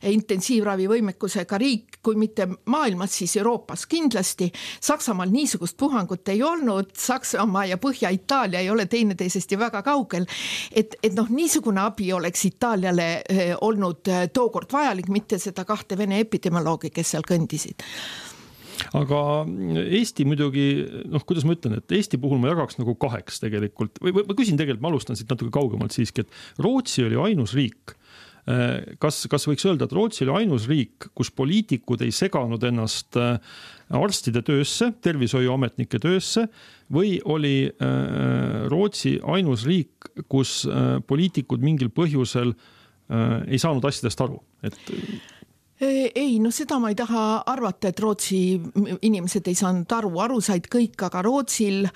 intensiivravivõimekusega riik, kui mitte maailmas, siis Euroopas kindlasti. Saksamaal niisugust puhangut ei olnud, Saksamaa ja Põhja-Itaalia ei ole teineteisest ju väga kaugel, et niisugune abi oleks Itaaliale olnud tookord vajalik, mitte seda 2 Vene epidemioloogi, kes seal kõndisid. Aga Eesti muidugi, kuidas ma ütlen, et Eesti puhul ma jagaks nagu 2 tegelikult, või ma küsin tegelikult, ma alustan siit natuke kaugemalt siiski, et Rootsi oli ainus riik, kas võiks öelda, et Rootsi oli ainus riik, kus poliitikud ei seganud ennast arstide töösse, tervishoiuametnike töösse, või oli Rootsi ainus riik, kus poliitikud mingil põhjusel ei saanud asjadest aru, et Ei, seda ma ei taha arvata, et Rootsi inimesed ei saanud aru said kõik, aga Rootsil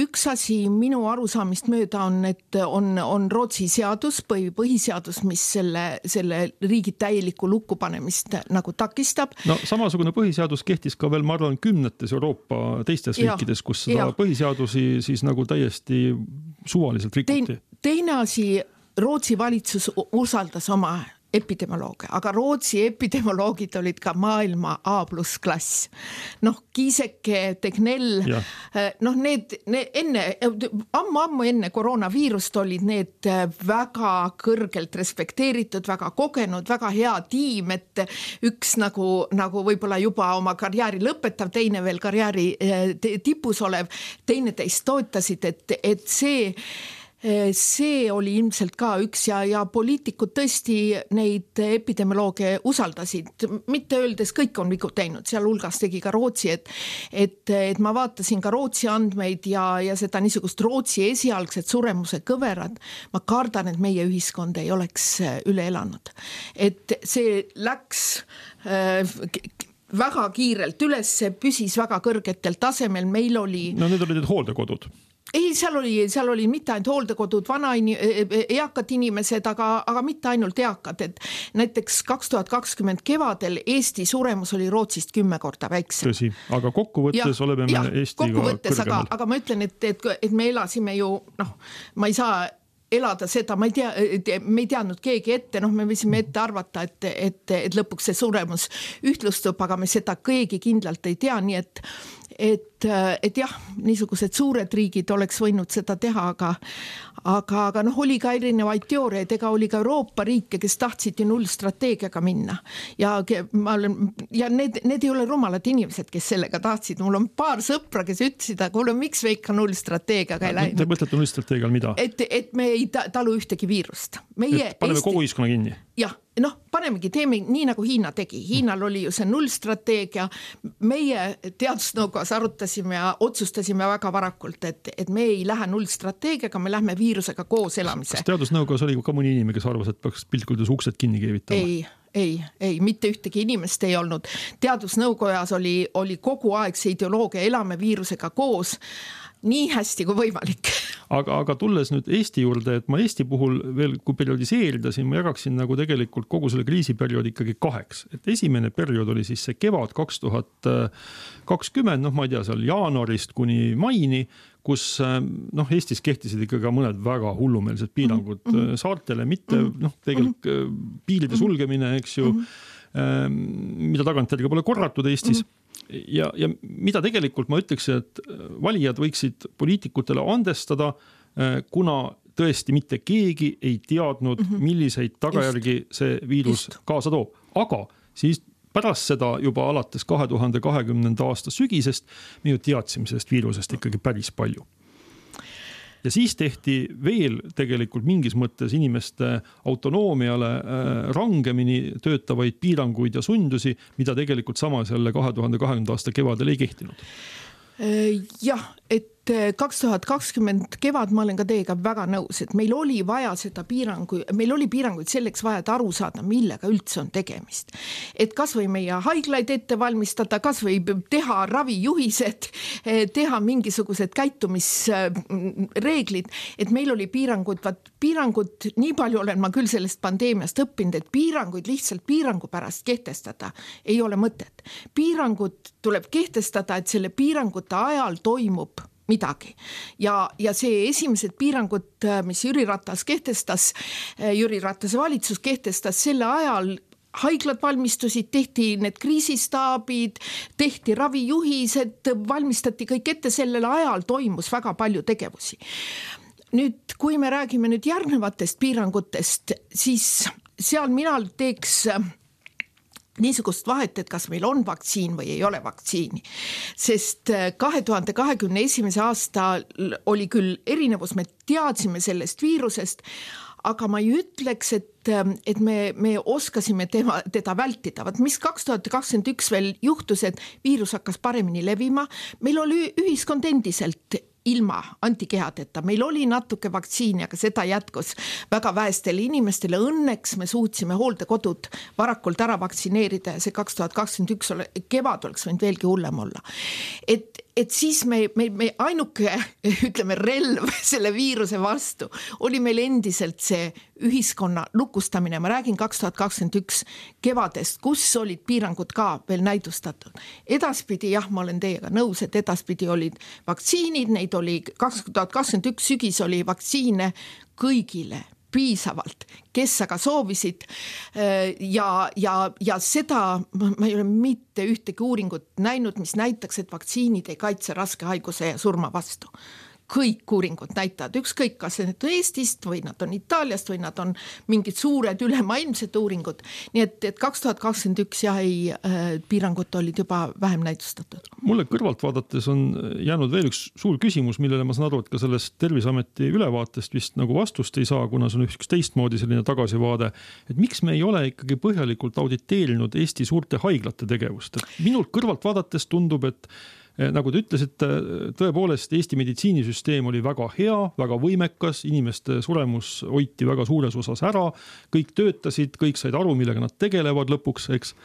üks asi minu arusaamist mööda on, et on Rootsi seadus, põhiseadus, mis selle riigi täieliku lukkupanemist nagu takistab. Samasugune põhiseadus kehtis ka veel, ma arvan, 10 Euroopa teistes riikides, kus seda põhiseadusi siis nagu täiesti suvaliselt rikuti. Teine asi, Rootsi valitsus usaldas oma epidemioloogia, aga Rootsi epidemioloogid olid ka maailma A+ klass. Kiiseke, Tegnell, need enne, ammu enne koroonaviirust olid need väga kõrgelt respekteeritud, väga kogenud, väga hea tiim, et üks nagu võib-olla juba oma karjääri lõpetav, teine veel karjääri tipus olev, teine teist toetasid, et see oli ilmselt ka üks ja poliitikud tõesti neid epidemiolooge usaldasid, mitte öeldes kõik on vigu teinud, seal hulgas tegi ka Rootsi, et ma vaatasin ka Rootsi andmeid ja seda niisugust Rootsi esialgset suremuse kõverad, ma kardan, et meie ühiskond ei oleks üle elanud. Et see läks väga kiirelt üles, püsis väga kõrgetel tasemel, meil oli... Need olid hooldekodud. Ei, seal oli mitte ainult hooldekodud, eakad inimesed, aga mitte ainult eakad, et näiteks 2020 kevadel Eesti suremus oli Rootsist 10 korda väiksem. Tõsi, aga kokkuvõttes oleme me Eestiga kõrgemal. Aga ma ütlen, et me elasime ju, ma ei saa elada seda, me ei teadnud keegi ette, me võisime ette arvata, et lõpuks see suremus ühtlustub, aga me seda keegi kindlalt ei tea, nii et jah, niisugused suured riigid oleks võinud seda teha, aga oli ka erinevaid teooriaid, ega oli ka Euroopa riike, kes tahtsid ju nullstrateegiaga minna ja need ei ole rumalad inimesed, kes sellega tahtsid, mul on paar sõpra, kes ütlesid, aga miks me ikka nullstrateegiaga ei läinud? Te mõtlete nullstrateegial mida? Et me ei talu ühtegi viirust. Paneme kogu ühiskonna kinni? Jah, panemegi, teeme nii nagu Hiina tegi. Hiinal oli ju see nullstrateegia. Meie teadusnõukojas arutasime ja otsustasime väga varakult, et me ei lähe nullstrateegiaga, me lähme viirusega koos elamise. Kas teadusnõukojas oli ka mõni inimene, kes arvas, et peaks piltkuldes uksed kinni keevitama? Ei, mitte ühtegi inimest ei olnud. Teadusnõukojas oli kogu aeg see ideoloogia, elame viirusega koos, nii hästi kui võimalik. Aga tulles nüüd Eesti juurde, et ma Eesti puhul veel, kui periodiseeridasin, ma jagaksin nagu tegelikult kogu selle kriisiperioodi ikkagi 2. Et esimene periood oli siis see kevad 2020, ma ei tea, seal jaanuarist kuni maini, kus Eestis kehtisid ikkagi mõned väga hullumeelsed piirangud saartele, mitte tegelikult piiride sulgemine, eks ju, mida tagantjärgi pole korratud Eestis. Ja mida tegelikult ma ütleks, et valijad võiksid poliitikutele andestada, kuna tõesti mitte keegi ei teadnud, milliseid tagajärgi see viirus kaasa toob. Aga siis pärast seda juba alates 2020. aasta sügisest me ju teadsime sellest viirusest ikkagi päris palju. Ja siis tehti veel tegelikult mingis mõttes inimeste autonoomiale rangemini töötavaid piiranguid ja sundusi, mida tegelikult samas jälle 2020. aasta kevadel ei kehtinud. Jah, et 2020 kevad ma olen ka teiega väga nõus, et meil oli vaja seda meil oli piiranguid selleks vaja, et aru saada, millega üldse on tegemist. Et kas või meie haiglaid ette valmistada, kas või teha ravijuhised, teha mingisugused käitumisreeglid, et meil oli piirangud, nii palju olen ma küll sellest pandeemiast õppinud, et piiranguid lihtsalt piirangu pärast kehtestada ei ole mõtet. Piirangud tuleb kehtestada, et selle piirangute ajal toimub midagi. Ja see esimesed piirangud, mis Jüri Ratase valitsus kehtestas selle ajal, haiglad valmistusid, tehti need kriisistaabid, tehti ravijuhised, valmistati kõik ette, sellel ajal toimus väga palju tegevusi. Nüüd, kui me räägime nüüd järgnevatest piirangutest, siis seal mina teeks niisugust vahet, et kas meil on vaktsiin või ei ole vaktsiini. Sest 2021. aastal oli küll erinevus, me teadsime sellest viirusest, aga ma ei ütleks, et me oskasime teda vältida. Mis 2021 veel juhtus, et viirus hakkas paremini levima, meil oli ühiskond endiselt ilma antikehadeta. Meil oli natuke vaktsiini, aga seda jätkus väga väestele inimestele. Õnneks me suutsime hooldekodud varakult ära vaktsineerida ja see 2021 kevad oleks võinud veelgi hullem olla. Et siis me ainuke, ütleme, relv selle viiruse vastu oli meil endiselt see ühiskonna lukustamine. Ma räägin 2021 kevadest, kus olid piirangud ka veel näidustatud. Edaspidi, jah, ma olen teiega nõus, et edaspidi olid vaktsiinid, neid oli 2021 sügis oli vaktsiine kõigile piisavalt, kes aga soovisid ja seda ma ei ole mitte ühtegi uuringut näinud, mis näitaks, et vaktsiinid ei kaitse raske haiguse ja surma vastu. Kõik uuringud näitavad, ükskõik kas need on Eestist või nad on Itaaliast või nad on mingid suured ülemaailmsed uuringud. Nii et 2021 piirangud olid juba vähem näidustatud. Mulle kõrvalt vaadates on jäänud veel üks suur küsimus, millele ma saan aru, et ka sellest Terviseameti ülevaatest vist nagu vastust ei saa, kuna see on üks teistmoodi selline tagasivaade. Et miks me ei ole ikkagi põhjalikult auditeerinud Eesti suurte haiglate tegevust? Et minult kõrvalt vaadates tundub, et nagu te ütlesite, tõepoolest Eesti meditsiinisüsteem oli väga hea, väga võimekas, inimeste suremus hoiti väga suures osas ära, kõik töötasid, kõik said aru, millega nad tegelevad lõpuks, eks.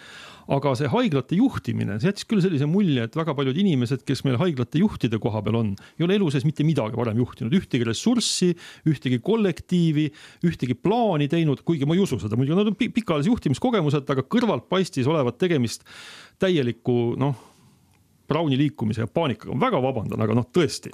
Aga see haiglate juhtimine, see jättis küll sellise mulje, et väga paljud inimesed, kes meil haiglate juhtide koha peal on, ei ole elu sees mitte midagi varem juhtinud, ühtegi ressurssi, ühtegi kollektiivi, ühtegi plaani teinud, kuigi ma ei usu seda, muidugi nad on pikaajalise juhtimiskogemused, aga kõrvalt paistis olevat tegemist täieliku, Brauni liikumise ja paanikaga. Väga vabandan, aga tõesti.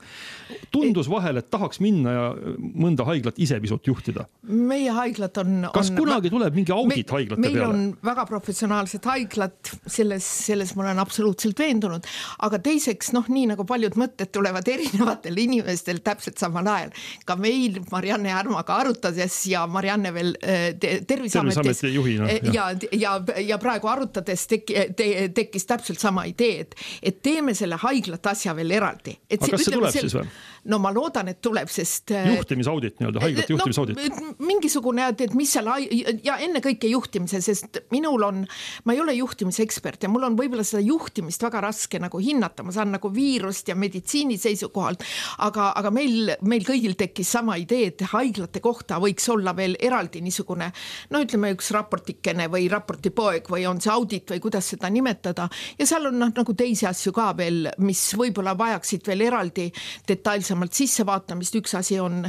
Tundus vahel, et tahaks minna ja mõnda haiglat ise pisut juhtida. Meie haiglad on... Kas kunagi tuleb mingi audit haiglate peale? Meil on väga professionaalsed haiglad, selles ma olen absoluutselt veendunud, aga teiseks, nii nagu paljud mõtted tulevad erinevatel inimestel täpselt samal ajal. Ka meil Marianne Härmaga arutades ja Marianne veel Terviseametis juhina, ja praegu arutades tekkis täpselt sama idee, et teeme selle haiglat asja veel eraldi. Aga kas see tuleb siis või? No ma loodan, et tuleb, sest... Juhtimisaudit, haiglate juhtimisaudit. Mingisugune, et mis seal... Ja enne kõike juhtimise, sest ma ei ole juhtimisekspert ja mul on võib-olla seda juhtimist väga raske nagu hinnata. Ma saan nagu viirust ja meditsiini seisukohalt, aga meil kõigil tekkis sama idee, et haiglate kohta võiks olla veel eraldi niisugune, ütleme üks raportikene või raportipoeg või on see audit või kuidas seda nimetada. Ja seal on nagu teisi asju ka veel, mis võib-olla vajaksid veel eraldi detailsemalt sissevaatamist. Üks asi on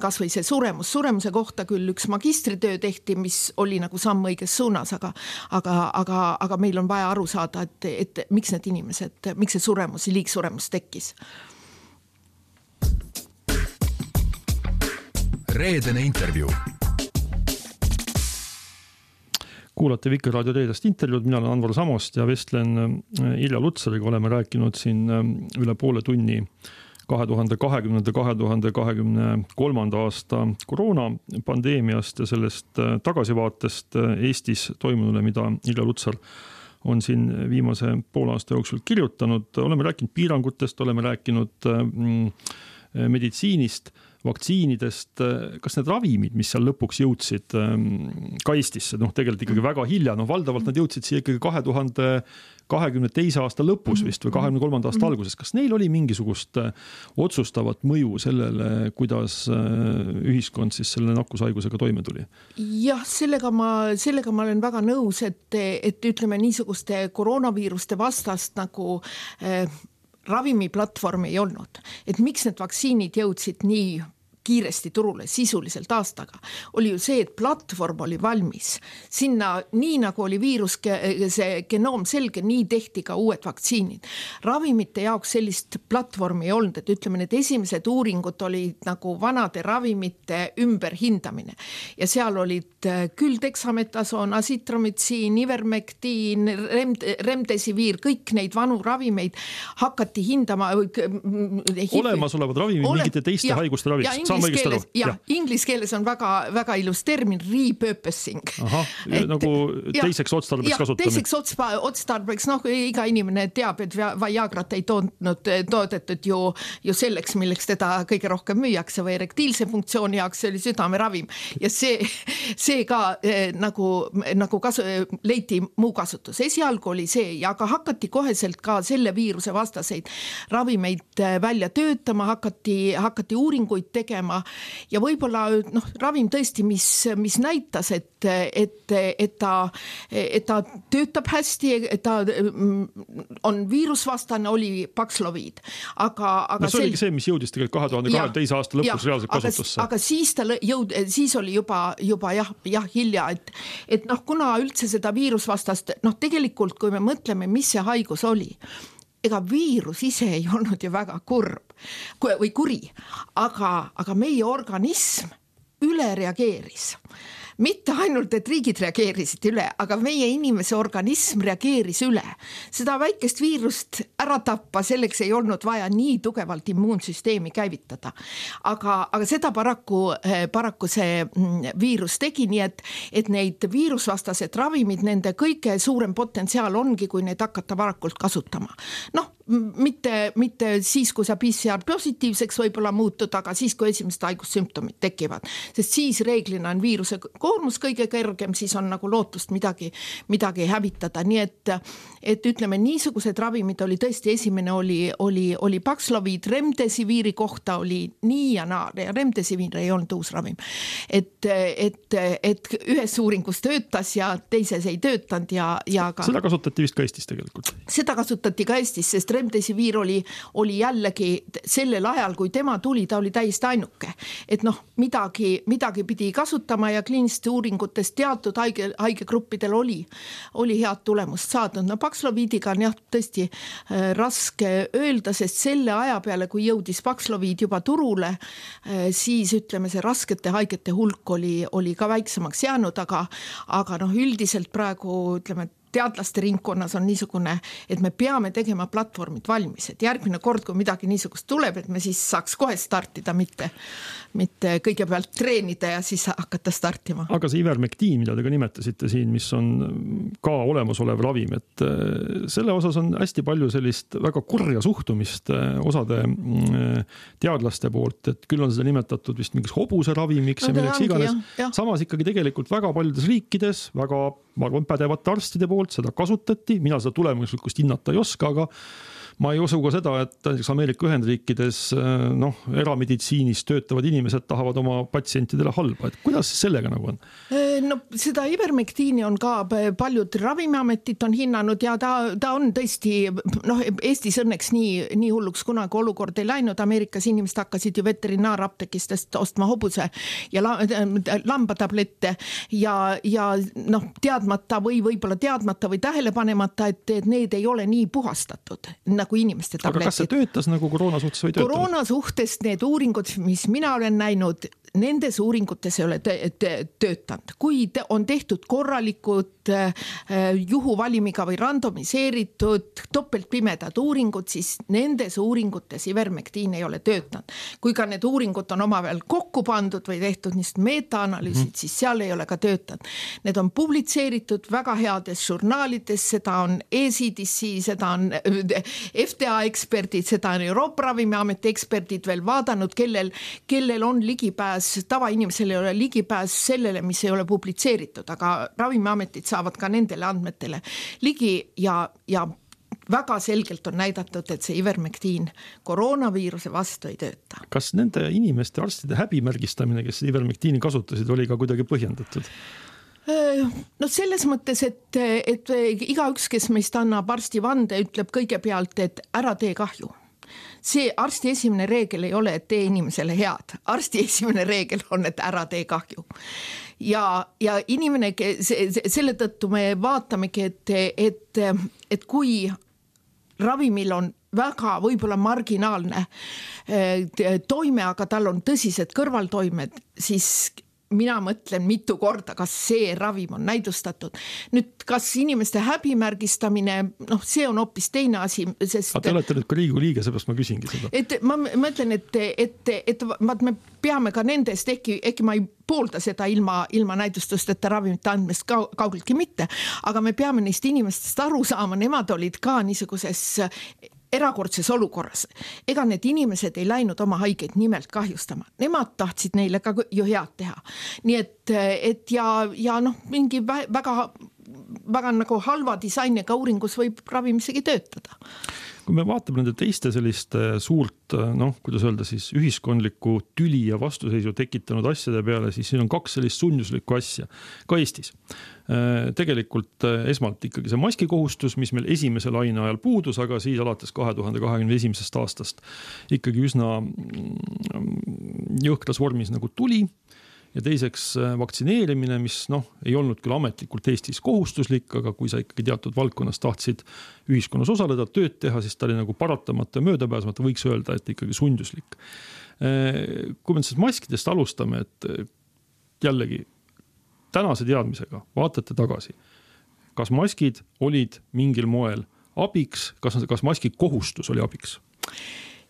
kas või see suremus. Suremuse kohta küll üks magistritöö tehti, mis oli nagu samm õiges suunas, aga meil on vaja aru saada, et miks need inimesed, miks see suremus, liigsuremus tekkis. Reedene intervjuu. Kuulate Vikerraadio reedest intervjuud, mina olen Anvar Samost ja vestlen Irja Lutsariga, oleme rääkinud siin üle poole tunni 2020-2023 aasta koroonapandeemiast ja sellest tagasivaatest Eestis toimunule, mida Irja Lutsar on siin viimase poole aasta jooksul kirjutanud. Oleme rääkinud piirangutest, oleme rääkinud meditsiinist, vaktsiinidest, kas need ravimid, mis seal lõpuks jõudsid ka Eestisse, tegelikult ikkagi väga hilja, valdavalt nad jõudsid siia ikkagi 2022 aasta lõpus vist või 2023 aasta alguses. Kas neil oli mingisugust otsustavat mõju sellele, kuidas ühiskond siis selle nakkushaigusega toime tuli? Jah, sellega ma olen väga nõus, et ütleme niisuguste koroonaviiruste vastast nagu ravimiplatvormi ei olnud. Et miks need vaktsiinid jõudsid nii kiiresti turule sisuliselt aastaga, oli ju see, et platvorm oli valmis. Sinna, nii nagu oli viirus, see genoom selge, nii tehti ka uued vaktsiinid. Ravimite jaoks sellist platvormi ei olnud, et ütleme, need esimesed uuringud olid nagu vanade ravimite ümberhindamine. Ja seal olid küll dexametasoon, azitromitsiin, ivermektiin, remdesiviir, kõik neid vanu ravimeid hakati hindama. Olemasolevad ravimid mingite teiste haiguste raviks. Inglise keeles on väga, väga ilus termin repurposing. Nagu teiseks otstarbeks kasutamine. Teiseks otstarbeks, iga inimene teab, et Viagrat ei toodetud ju selleks, milleks teda kõige rohkem müüakse või erektiilse funktsiooni jaoks, see oli südameravim. Ja see ka nagu leiti muu kasutus. Esialgu oli see, aga hakati koheselt ka selle viiruse vastaseid ravimeid välja töötama, hakati uuringuid tegema ja võib-olla ravim tõesti, mis näitas, et ta töötab hästi, et ta on viirusvastane, oli Paxlovid. Aga see oligi see, mis jõudis tegelikult 2022 aasta lõpus reaalselt kasutusse. Aga siis oli juba hilja, et kuna üldse seda viirusvastast, tegelikult kui me mõtleme, mis see haigus oli, ega viirus ise ei olnud ju väga kurb või kuri, aga meie organism üle reageeris. Mitte ainult, et riigid reageerisid üle, aga meie inimese organism reageeris üle. Seda väikest viirust ära tappa, selleks ei olnud vaja nii tugevalt immuunsüsteemi käivitada. Aga seda paraku see viirus tegi, nii et neid viirusvastased ravimid, nende kõige suurem potentsiaal ongi, kui neid hakata varakult kasutama. Mitte siis, kui sa PCR positiivseks võib-olla muutud, aga siis, kui esimesed haigussümptomid tekivad. Sest siis reeglina on viiruse koormus kõige kõrgem, siis on nagu lootust midagi hävitada. Nii et ütleme, niisugused ravimid oli tõesti, esimene oli Paxlovid, remdesiviiri kohta oli nii ja naa, ja remdesiviir ei olnud uus ravim. Et ühes uuringus töötas ja teises ei töötanud ja ka... Seda kasutati vist ka Eestis tegelikult. Seda kasutati ka Eestis, sest remdesiviir oli jällegi sellel ajal, kui tema tuli, ta oli täiesti ainuke. Et midagi pidi kasutama ja kliiniliste uuringutest teatud haigegruppidel oli head tulemust saadud. Paxlovidiga on tõesti raske öelda, sest selle aja peale, kui jõudis Paxlovid juba turule, siis ütleme, see raskete haigete hulk oli ka väiksemaks jäänud, aga üldiselt praegu ütleme, teadlaste ringkonnas on niisugune, et me peame tegema platvormid valmis, et järgmine kord, kui midagi niisugust tuleb, et me siis saaks kohe startida, mitte kõigepealt treenida ja siis hakata startima. Aga see ivermektiin, mida te ka nimetasite siin, mis on ka olemasolev ravim, et selle osas on hästi palju sellist väga kurja suhtumist osade teadlaste poolt, et küll on seda nimetatud vist mingiks hobuse ravimiks ja milleks iganes. Samas ikkagi tegelikult väga paljudes riikides, väga pädevate arstide poolt seda kasutati, mina seda tulemuslikkust hinnata ei oska, aga ma ei usu ka seda, et Ameerika Ühendriikides erameditsiinis töötavad inimesed tahavad oma patsientidele halba. Et kuidas sellega nagu on? Seda ivermektiini on ka paljud ravimiametit on hinnanud ja ta on tõesti, Eestis õnneks nii hulluks kunagi olukord ei läinud. Ameerikas inimesed hakkasid ju veterinaaraptekistest ostma hobuse ja lambatablette ja teadmata või võib-olla teadmata või tähelepanemata, et need ei ole nii puhastatud nagu inimeste tabletid. Aga kas see töötas nagu koroona suhtes või töötanud? Koroona suhtes need uuringud, mis mina olen näinud, nendes uuringutes ei ole töötanud. Kui on tehtud korralikud juhuvalimiga või randomiseeritud topeltpimedad uuringud, siis nendes uuringutes ivermektiin ei ole töötanud. Kui ka need uuringud on omavahel kokku pandud või tehtud niisugused meta-analüüsid, siis seal ei ole ka töötanud. Need on publitseeritud väga heades žurnaalides, seda on ECDC, seda on FDA eksperdid, seda on Euroopa Ravimiameti eksperdid veel vaadanud, kellel on ligipääs, tavainimesel ei ole ligipääs sellele, mis ei ole publitseeritud, aga Ravimiametid saavad ka nendele andmetele ligi ja väga selgelt on näidatud, et see ivermektiin koroonaviiruse vastu ei tööta. Kas nende inimeste arstide häbimärgistamine, kes ivermektiini kasutasid, oli ka kuidagi põhjendatud? No selles mõttes, et igaüks, kes meist annab arstivande, ütleb kõigepealt, et ära tee kahju. See arsti esimene reegel ei ole, et tee inimesele head. Arsti esimene reegel on, et ära tee kahju. Ja inimene, selle tõttu me vaatamegi, et kui ravimil on väga võib-olla marginaalne toime, aga tal on tõsised kõrvaltoimed, siis mina mõtlen mitu korda, kas see ravim on näidustatud. Nüüd, kas inimeste häbimärgistamine, see on hoopis teine asi, sest... Te olete nüüd ka Riigikogu liige, seepärast ma küsingi seda. Ma mõtlen, et me peame ka nendest, ehkki ma ei poolda seda ilma näidustusteta ravimite andmest kaugeltki mitte, aga me peame neist inimestest aru saama, nemad olid ka niisuguses erakordses olukorras. Ega need inimesed ei läinud oma haigeid nimelt kahjustama. Nemad tahtsid neile ka ju head teha. Nii et mingi väga nagu halva disainiga uuringus võib ravim isegi töötada. Kui me vaatame nende teiste selliste suurt, kuidas öelda siis, ühiskondlikku tüli ja vastuseisu tekitanud asjade peale, siis siin on kaks sellist sunduslikku asja, ka Eestis. Tegelikult esmalt ikkagi see maskikohustus, mis meil esimese laine ajal puudus, aga siis alates 2021. aastast ikkagi üsna jõhkras vormis nagu tuli. Ja teiseks vaktsineerimine, mis ei olnud küll ametlikult Eestis kohustuslik, aga kui sa ikkagi teatud valdkonnas tahtsid ühiskonnas osaleda, tööd teha, siis ta oli nagu paratamata ja möödapääsmata, võiks öelda, et ikkagi sunduslik. Kui me siis maskidest alustame, et jällegi tänase teadmisega vaatate tagasi, kas maskid olid mingil moel abiks, kas maski kohustus oli abiks?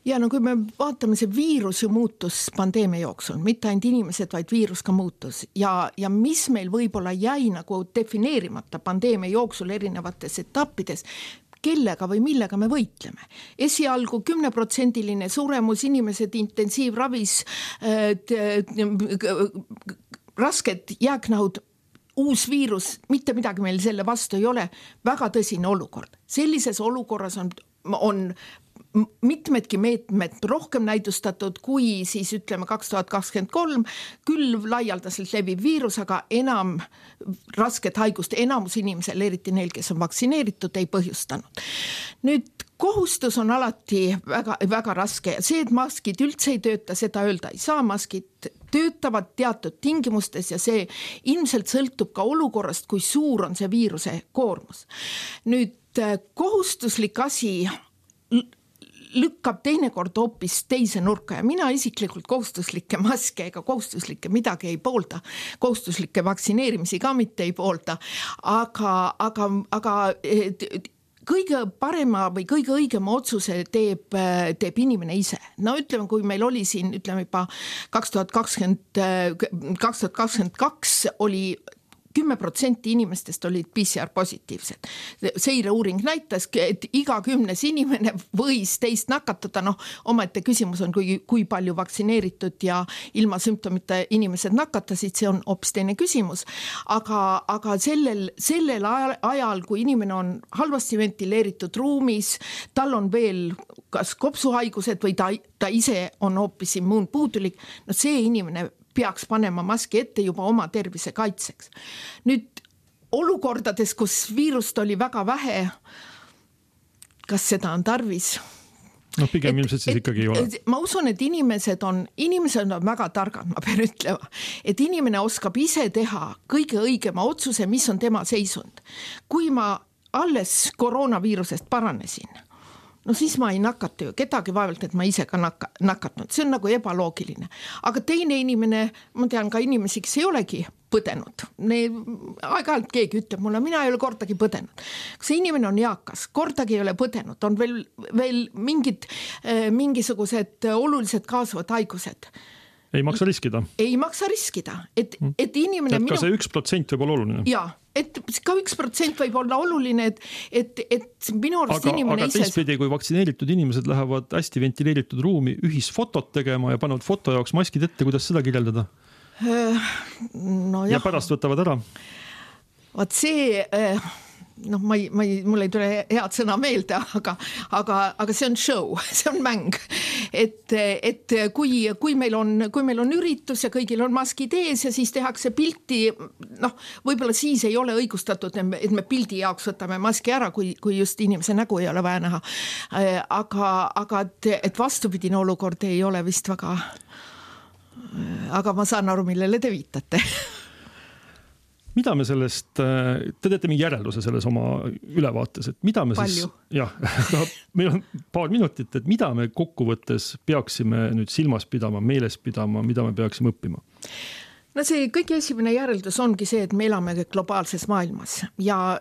Ja kui me vaatame, see viirus ju muutus pandeemia jooksul, mitte ainult inimesed, vaid viirus ka muutus. Ja mis meil võib-olla jäi nagu defineerimata pandeemia jooksul erinevates etappides, kellega või millega me võitleme. Esialgu 10% suremus, inimesed intensiivravis, rasked jääknahud, uus viirus, mitte midagi meil selle vastu ei ole, väga tõsine olukord. Sellises olukorras on mitmedki meetmed rohkem näidustatud kui siis ütleme 2023, küll laialdaselt leviv viirus, aga enam rasket haigust enamus inimesel, eriti neil, kes on vaktsineeritud, ei põhjustanud. Nüüd kohustus on alati väga, väga raske ja see, et maskid üldse ei tööta, seda öelda ei saa, maskid töötavad teatud tingimustes ja see ilmselt sõltub ka olukorrast, kui suur on see viiruse koormus. Nüüd kohustuslik asi lükkab teinekord hoopis teise nurka ja mina isiklikult kohustuslikke maske ega kohustuslikke midagi ei poolda, kohustuslikke vaktsineerimisi ka mitte ei poolda, aga kõige parema või kõige õigema otsuse teeb inimene ise. Ütleme, kui meil oli siin, juba 2022 oli 10% inimestest olid PCR positiivsed. Seireuuring näitas, et iga 10 inimene võis teist nakatada. Omaette küsimus on, kui palju vaktsineeritud ja ilma sümptomita inimesed nakatasid, see on hoopis teine küsimus. Aga sellel ajal, kui inimene on halvasti ventileeritud ruumis, tal on veel kas kopsuhaigused või ta ise on hoopis immuunpuudulik, see inimene peaks panema maski ette juba oma tervise kaitseks. Nüüd olukordades, kus viirust oli väga vähe, kas seda on tarvis? Pigem ilmselt siis ikkagi ei ole. Ma usun, et inimesed on väga targad, ma pean ütlema, et inimene oskab ise teha kõige õigema otsuse, mis on tema seisund. Kui ma alles koroonaviirusest paranesin, siis ma ei nakata ju kedagi vaevalt, et ma ise ka nakatnud. See on nagu ebaloogiline. Aga teine inimene, ma tean ka inimesi, kes ei olegi põdenud. Aeg-ajalt keegi ütleb mulle, mina ei ole kordagi põdenud. Kui see inimene on eakas, kordagi ei ole põdenud, on veel mingisugused olulised kaasuvad haigused. Ei maksa riskida. Ei maksa riskida. Et inimene... Et ka see 1% võib olla oluline. Jaa, et ka 1% võib olla oluline, et minu arust inimene aga teistpidi, kui vaktsineeritud inimesed lähevad hästi ventileeritud ruumi ühisfotot tegema ja panevad foto jaoks maskid ette, kuidas seda kirjeldada? No ja pärast võtavad ära? Vaat see... mul ei tule head sõna meelde, aga see on show, see on mäng. Et kui meil on üritus ja kõigil on maskid ees ja siis tehakse pilti, võib-olla siis ei ole õigustatud, et me pildi jaoks võtame maski ära, kui just inimese nägu ei ole vaja näha. Aga et vastupidine olukord ei ole vist väga... Aga ma saan aru, millele te viitate. Mida me sellest, te teete mingi järelduse selles oma ülevaates, et mida me Palju. meil on paar minutit, et mida me kokkuvõttes peaksime nüüd silmas pidama, meeles pidama, mida me peaksime õppima? No see kõige esimene järeldus ongi see, et me elame globaalses maailmas ja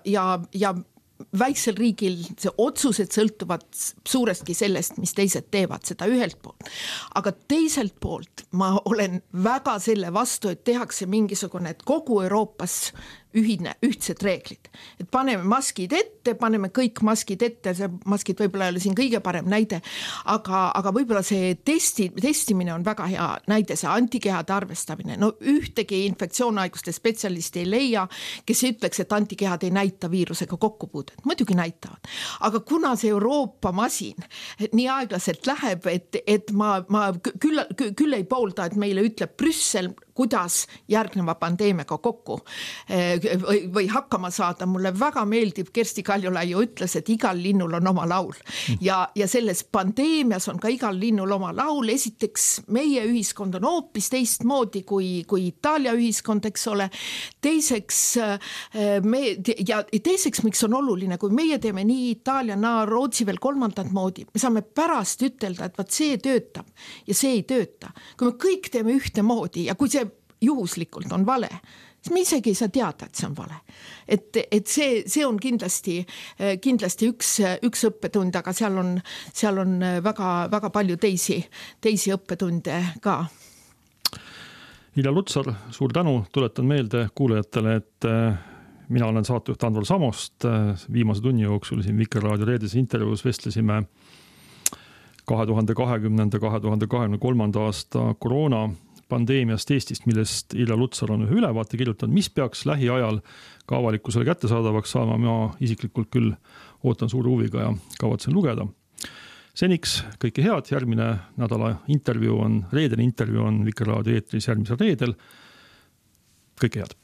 väiksel riigil see otsused sõltuvad suurestki sellest, mis teised teevad, seda ühelt poolt. Aga teiselt poolt ma olen väga selle vastu, et tehakse mingisugune, et kogu Euroopas ühtsed reeglid. Et paneme maskid ette, paneme kõik maskid ette, see maskid võib-olla ei ole siin kõige parem näide, aga võib-olla see testimine on väga hea näide, see antikehade arvestamine. No ühtegi infektsioonhaiguste spetsialisti ei leia, kes ütleks, et antikehad ei näita viirusega kokkupuudet. Muidugi näitavad. Aga kuna see Euroopa masin nii aeglaselt läheb, et ma küll ei poolda, et meile ütleb Brüssel, kuidas järgneva pandeemiaga kokku või hakkama saada. Mulle väga meeldib, Kersti Kaljulaiu ütles, et igal linnul on oma laul. Ja selles pandeemias on ka igal linnul oma laul. Esiteks, meie ühiskond on hoopis teistmoodi kui Itaalia ühiskond, eks ole. Teiseks, miks on oluline, kui meie teeme nii Itaalia, Rootsi veel kolmandat moodi, me saame pärast ütelda, et see töötab ja see ei tööta. Kui me kõik teeme ühte moodi ja kui see juhuslikult on vale, siis me isegi ei saa teada, et see on vale. Et see on kindlasti üks õppetund, aga seal on väga, väga palju teisi õppetunde ka. Irja Lutsar, suur tänu, tuletan meelde kuulajatele, et mina olen saatejuht Andvar Samost. Viimase tunni jooksul siin Vikerraadio reedes intervjuus vestlesime 2020-2023 aasta koroona pandeemiast Eestist, millest Irja Lutsar on ühe ülevaate kirjutanud, mis peaks lähiajal ka avalikkusele kättesaadavaks saama. Ma isiklikult küll ootan suure huviga ja kavatsen lugeda. Seniks kõike head, järgmine nädala reedene intervjuu on Vikerraadio eetris järgmisel reedel. Kõike head.